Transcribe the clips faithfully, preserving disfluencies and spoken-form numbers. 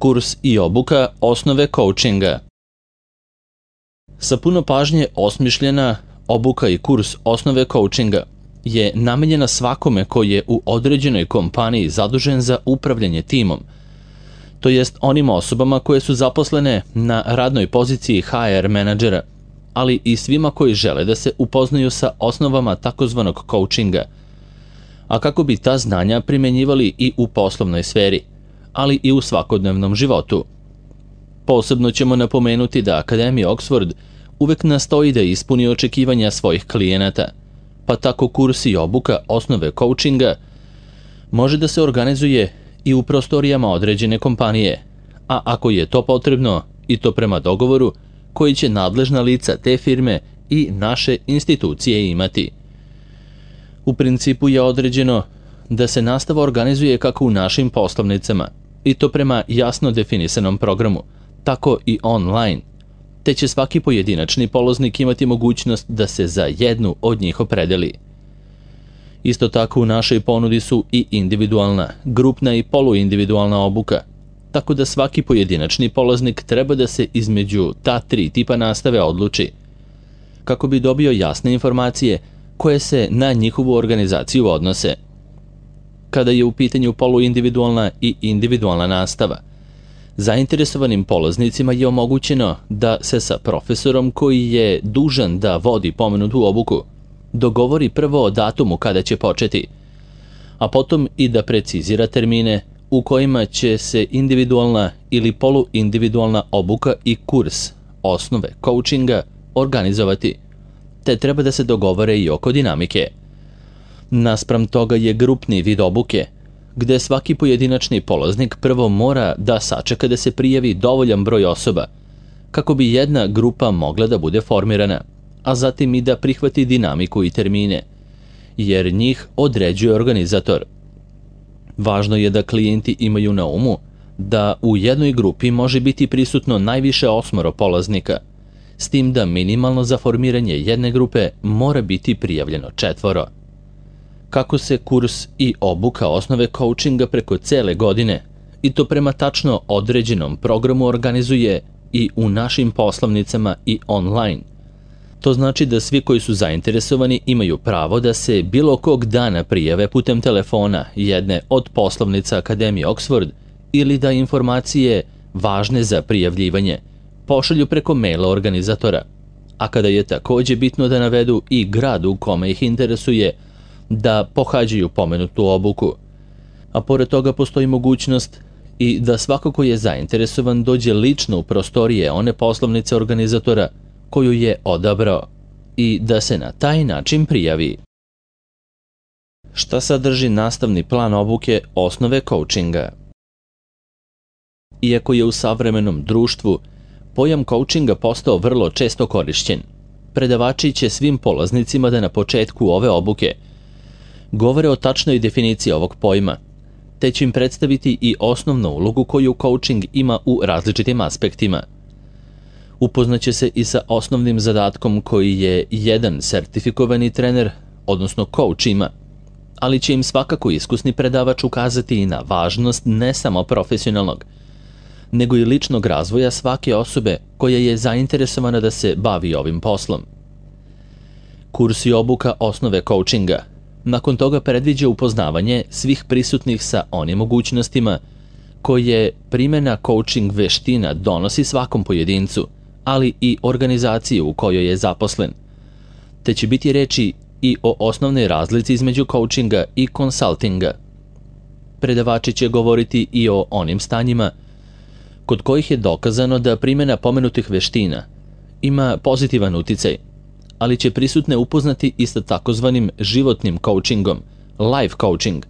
Kurs i obuka osnove coachinga. Sa puno pažnje osmišljena obuka i kurs osnove coachinga je namenjena svakome koji je u određenoj kompaniji zadužen za upravljanje timom, to jest onim osobama koje su zaposlene na radnoj poziciji H R menadžera, ali i svima koji žele da se upoznaju sa osnovama takozvanog coachinga, a kako bi ta znanja primenjivali i u poslovnoj sferi, ali i u svakodnevnom životu. Posebno ćemo napomenuti da Akademija Oxford uvek nastoji da ispuni očekivanja svojih klijenata, pa tako kurs i obuka osnove coachinga može da se organizuje i u prostorijama određene kompanije, a ako je to potrebno, i to prema dogovoru koji će nadležna lica te firme i naše institucije imati. U principu je određeno da se nastava organizuje kako u našim poslovnicama, i to prema jasno definisanom programu, tako i online, te će svaki pojedinačni polaznik imati mogućnost da se za jednu od njih opredeli. Isto tako u našoj ponudi su i individualna, grupna i poluindividualna obuka, tako da svaki pojedinačni polaznik treba da se između ta tri tipa nastave odluči, kako bi dobio jasne informacije koje se na njihovu organizaciju odnose. Kada je u pitanju poluindividualna i individualna nastava, zainteresovanim polaznicima je omogućeno da se sa profesorom koji je dužan da vodi pomenutu obuku dogovori prvo o datumu kada će početi, a potom i da precizira termine u kojima će se individualna ili poluindividualna obuka i kurs osnove coachinga organizovati, te treba da se dogovore i oko dinamike. Naspram toga je grupni vid obuke, gde svaki pojedinačni polaznik prvo mora da sačeka da se prijavi dovoljan broj osoba, kako bi jedna grupa mogla da bude formirana, a zatim i da prihvati dinamiku i termine, jer njih određuje organizator. Važno je da klijenti imaju na umu da u jednoj grupi može biti prisutno najviše osmoro polaznika, s tim da minimalno za formiranje jedne grupe mora biti prijavljeno četvoro. Kako se kurs i obuka osnove coachinga preko cele godine, i to prema tačno određenom programu, organizuje i u našim poslovnicama i online. To znači da svi koji su zainteresovani imaju pravo da se bilo kog dana prijave putem telefona jedne od poslovnica Akademije Oxford ili da informacije važne za prijavljivanje pošalju preko maila organizatora, a kada je takođe bitno da navedu i grad u kome ih interesuje da pohađaju pomenutu obuku. A pored toga postoji mogućnost i da svako ko je zainteresovan dođe lično u prostorije one poslovnice organizatora koju je odabrao i da se na taj način prijavi. Šta sadrži nastavni plan obuke osnove coachinga? Iako je u savremenom društvu pojam coachinga postao vrlo često korišćen, predavači će svim polaznicima da na početku ove obuke govore o tačnoj definiciji ovog pojma, te će im predstaviti i osnovnu ulogu koju coaching ima u različitim aspektima. Upoznaće se i sa osnovnim zadatkom koji je jedan sertifikovani trener, odnosno coach, ima, ali će im svakako iskusni predavač ukazati i na važnost ne samo profesionalnog, nego i ličnog razvoja svake osobe koja je zainteresovana da se bavi ovim poslom. Kurs i obuka osnove coachinga nakon toga predviđa upoznavanje svih prisutnih sa onim mogućnostima koje primjena coaching veština donosi svakom pojedincu, ali i organizaciji u kojoj je zaposlen, te će biti reči i o osnovnoj razlici između coachinga i konsultinga. Predavači će govoriti i o onim stanjima kod kojih je dokazano da primjena pomenutih veština ima pozitivan uticaj, ali će prisutne upoznati i sa takozvanim životnim coachingom, life coaching,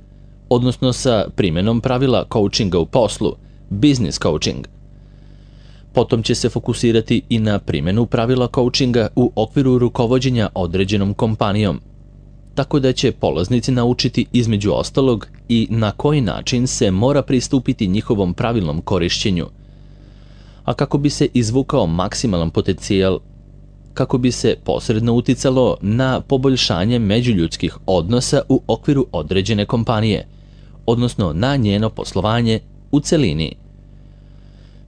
odnosno sa primjenom pravila coachinga u poslu, business coaching. Potom će se fokusirati i na primjenu pravila coachinga u okviru rukovođenja određenom kompanijom, tako da će polaznici naučiti između ostalog i na koji način se mora pristupiti njihovom pravilnom korišćenju, a kako bi se izvukao maksimalan potencijal, kako bi se posredno uticalo na poboljšanje međuljudskih odnosa u okviru određene kompanije, odnosno na njeno poslovanje u celini.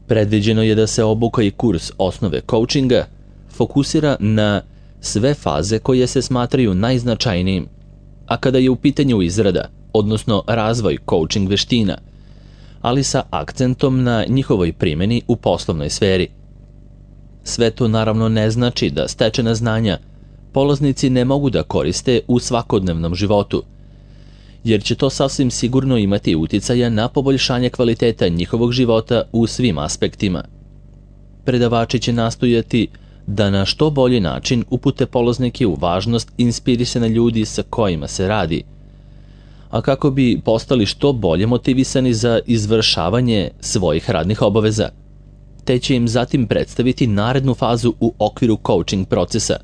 Predviđeno je da se obuka i kurs osnove coachinga fokusira na sve faze koje se smatraju najznačajnijim, a kada je u pitanju izrada, odnosno razvoj coaching veština, ali sa akcentom na njihovoj primjeni u poslovnoj sferi. Sve to naravno ne znači da stečena znanja polaznici ne mogu da koriste u svakodnevnom životu, jer će to sasvim sigurno imati uticaja na poboljšanje kvaliteta njihovog života u svim aspektima. Predavači će nastojati da na što bolji način upute polaznike u važnost inspirisane ljudi sa kojima se radi, a kako bi postali što bolje motivisani za izvršavanje svojih radnih obaveza, te će im zatim predstaviti narednu fazu u okviru coaching procesa,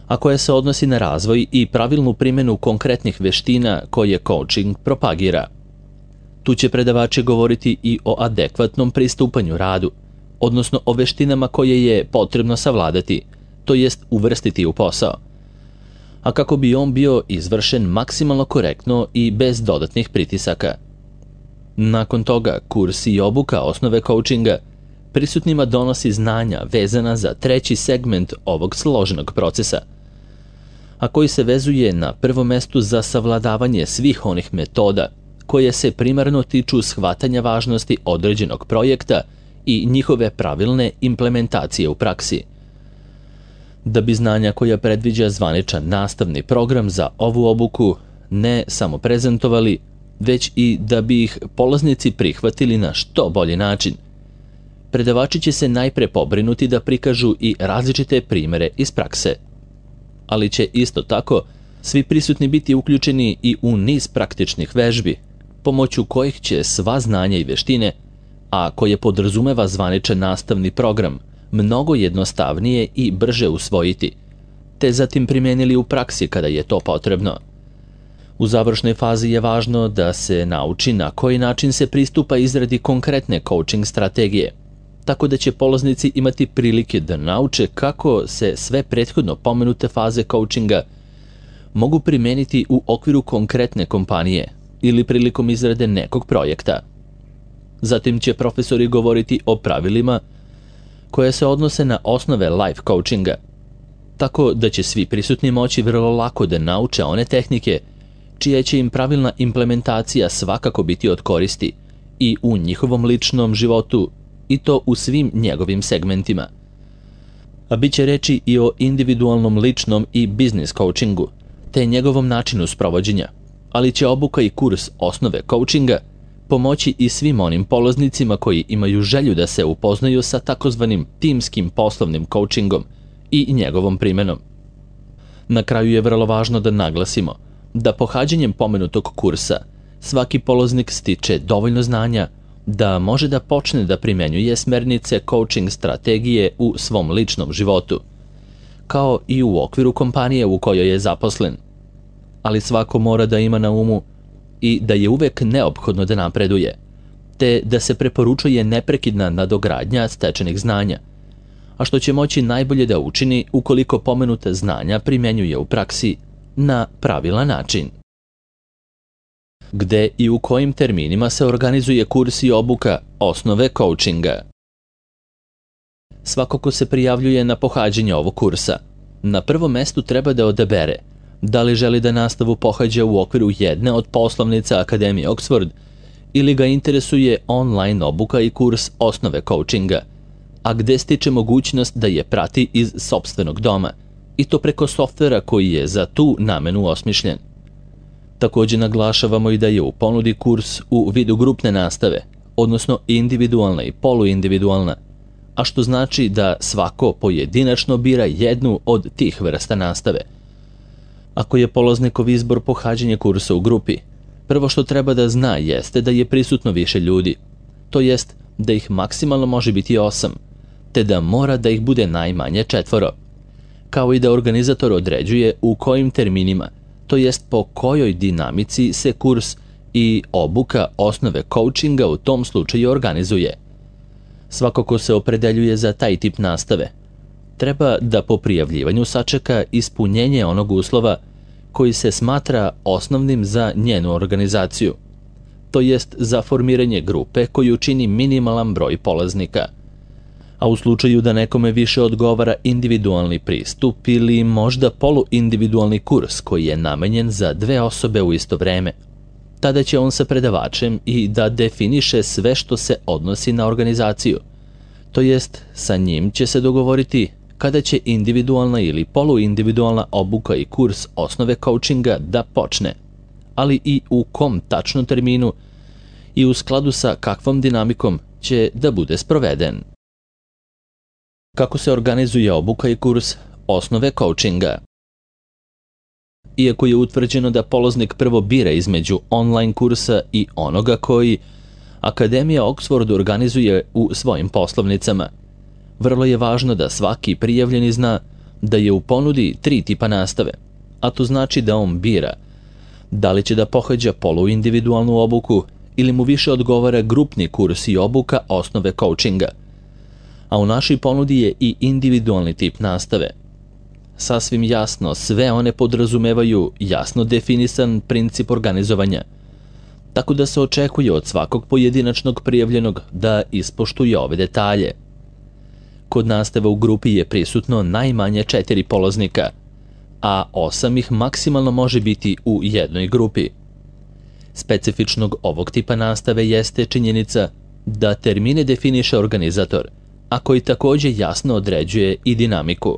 a koja se odnosi na razvoj i pravilnu primjenu konkretnih veština koje coaching propagira. Tu će predavači govoriti i o adekvatnom pristupanju radu, odnosno o veštinama koje je potrebno savladati, to jest uvrstiti u posao, a kako bi on bio izvršen maksimalno korektno i bez dodatnih pritisaka. Nakon toga, kurs i obuka osnove coachinga prisutnima donosi znanja vezana za treći segment ovog složenog procesa, a koji se vezuje na prvom mestu za savladavanje svih onih metoda koje se primarno tiču shvatanja važnosti određenog projekta i njihove pravilne implementacije u praksi. Da bi znanja koja predviđa zvaničan nastavni program za ovu obuku ne samo prezentovali, već i da bi ih polaznici prihvatili na što bolji način, predavači će se najpre pobrinuti da prikažu i različite primere iz prakse, ali će isto tako svi prisutni biti uključeni i u niz praktičnih vežbi, pomoću kojih će sva znanja i veštine, a koje podrazumeva zvaničan nastavni program, mnogo jednostavnije i brže usvojiti, te zatim primijenili u praksi kada je to potrebno. U završnoj fazi je važno da se nauči na koji način se pristupa izradi konkretne coaching strategije, tako da će polaznici imati prilike da nauče kako se sve prethodno pomenute faze coachinga mogu primijeniti u okviru konkretne kompanije ili prilikom izrade nekog projekta. Zatim će profesori govoriti o pravilima koje se odnose na osnove life coachinga, tako da će svi prisutni moći vrlo lako da nauče one tehnike čija će im pravilna implementacija svakako biti od koristi i u njihovom ličnom životu, i to u svim njegovim segmentima. A bit će reći i o individualnom ličnom i biznis coachingu, te njegovom načinu sprovođenja, ali će obuka i kurs osnove coachinga pomoći i svim onim polaznicima koji imaju želju da se upoznaju sa takozvanim timskim poslovnim coachingom i njegovom primjenom. Na kraju je vrlo važno da naglasimo da pohađanjem pomenutog kursa svaki polaznik stiče dovoljno znanja da može da počne da primjenjuje smernice coaching strategije u svom ličnom životu, kao i u okviru kompanije u kojoj je zaposlen. Ali svako mora da ima na umu i da je uvek neophodno da napreduje, te da se preporučuje neprekidna nadogradnja stečenih znanja, a što će moći najbolje da učini ukoliko pomenuta znanja primjenjuje u praksi na pravilan način. Gde i u kojim terminima se organizuje kurs i obuka osnove coachinga? Svako ko se prijavljuje na pohađanje ovog kursa, na prvom mestu treba da odabere da li želi da nastavu pohađa u okviru jedne od poslovnica Akademije Oxford ili ga interesuje online obuka i kurs osnove coachinga, a gde stiče mogućnost da je prati iz sopstvenog doma, i to preko softvera koji je za tu namenu osmišljen. Također naglašavamo i da je u ponudi kurs u vidu grupne nastave, odnosno individualna i poluindividualna, a što znači da svako pojedinačno bira jednu od tih vrsta nastave. Ako je polaznikov izbor pohađanje kursa u grupi, prvo što treba da zna jeste da je prisutno više ljudi, to jest da ih maksimalno može biti osam, te da mora da ih bude najmanje četvoro, kao i da organizator određuje u kojim terminima, to jest po kojoj dinamici se kurs i obuka osnove coachinga u tom slučaju organizuje. Svako ko se opredeljuje za taj tip nastave treba da po prijavljivanju sačeka ispunjenje onog uslova koji se smatra osnovnim za njenu organizaciju, to jest za formiranje grupe koju čini minimalan broj polaznika. A u slučaju da nekome više odgovara individualni pristup ili možda poluindividualni kurs koji je namenjen za dve osobe u isto vreme, tada će on sa predavačem i da definiše sve što se odnosi na organizaciju, to jest sa njim će se dogovoriti kada će individualna ili poluindividualna obuka i kurs osnove coachinga da počne, ali i u kom tačno terminu i u skladu sa kakvom dinamikom će da bude sproveden. Kako se organizuje obuka i kurs osnove coachinga? Iako je utvrđeno da polaznik prvo bira između online kursa i onoga koji Akademija Oxford organizuje u svojim poslovnicama, vrlo je važno da svaki prijavljeni zna da je u ponudi tri tipa nastave, a to znači da on bira da li će da pohađa poluindividualnu obuku ili mu više odgovara grupni kurs i obuka osnove coachinga, a u našoj ponudi je i individualni tip nastave. Sasvim jasno, sve one podrazumevaju jasno definisan princip organizovanja, tako da se očekuje od svakog pojedinačnog prijavljenog da ispoštuje ove detalje. Kod nastave u grupi je prisutno najmanje četiri polaznika, a osam ih maksimalno može biti u jednoj grupi. Specifičnog ovog tipa nastave jeste činjenica da termine definiše organizator, a koji takođe jasno određuje i dinamiku.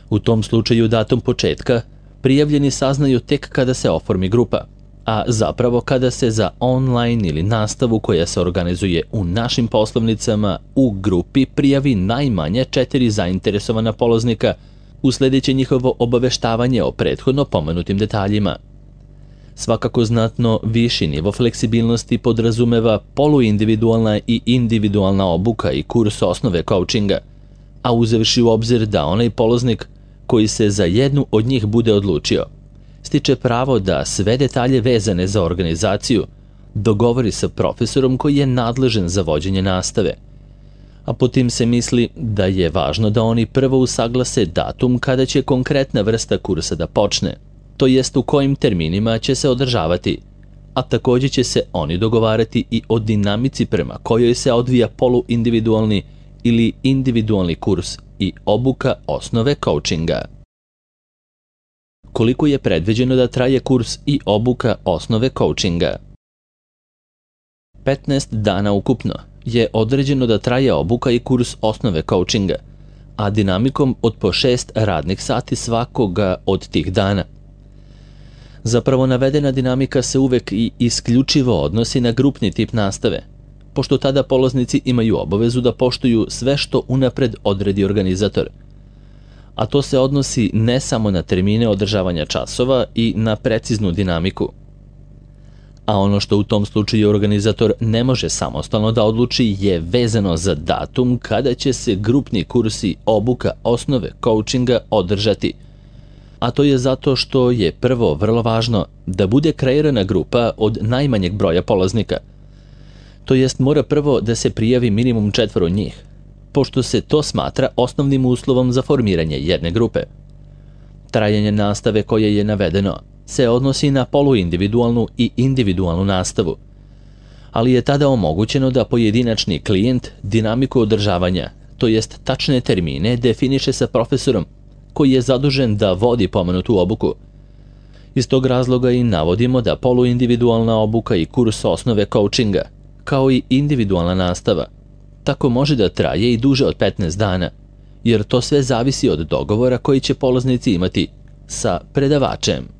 U tom slučaju datum početka prijavljeni saznaju tek kada se oformi grupa, a zapravo kada se za online ili nastavu koja se organizuje u našim poslovnicama u grupi prijavi najmanje četiri zainteresovana polaznika, usledeće njihovo obaveštavanje o prethodno pomenutim detaljima. Svakako znatno viši nivo fleksibilnosti podrazumeva poluindividualna i individualna obuka i kurs osnove coachinga, a uzevši u obzir da onaj polaznik koji se za jednu od njih bude odlučio, stiče pravo da sve detalje vezane za organizaciju dogovori sa profesorom koji je nadležan za vođenje nastave, a po tim se misli da je važno da oni prvo usaglase datum kada će konkretna vrsta kursa da počne, to jest u kojim terminima će se održavati, a takođe će se oni dogovarati i o dinamici prema kojoj se odvija poluindividualni ili individualni kurs i obuka osnove coachinga. Koliko je predviđeno da traje kurs i obuka osnove coachinga? petnaest dana ukupno je određeno da traje obuka i kurs osnove coachinga, a dinamikom od po šest radnih sati svakoga od tih dana. Zapravo navedena dinamika se uvek i isključivo odnosi na grupni tip nastave, pošto tada polaznici imaju obavezu da poštuju sve što unapred odredi organizator, a to se odnosi ne samo na termine održavanja časova i na preciznu dinamiku. A ono što u tom slučaju organizator ne može samostalno da odluči je vezano za datum kada će se grupni kursi obuka osnove coachinga održati, a to je zato što je prvo vrlo važno da bude kreirana grupa od najmanjeg broja polaznika, to jest mora prvo da se prijavi minimum četvoro njih, pošto se to smatra osnovnim uslovom za formiranje jedne grupe. Trajanje nastave koje je navedeno se odnosi na poluindividualnu i individualnu nastavu, ali je tada omogućeno da pojedinačni klijent dinamiku održavanja, to jest tačne termine, definiše sa profesorom koji je zadužen da vodi pomenutu obuku. Iz tog razloga i navodimo da poluindividualna obuka i kurs osnove coachinga, kao i individualna nastava, tako može da traje i duže od petnaest dana, jer to sve zavisi od dogovora koji će polaznici imati sa predavačem.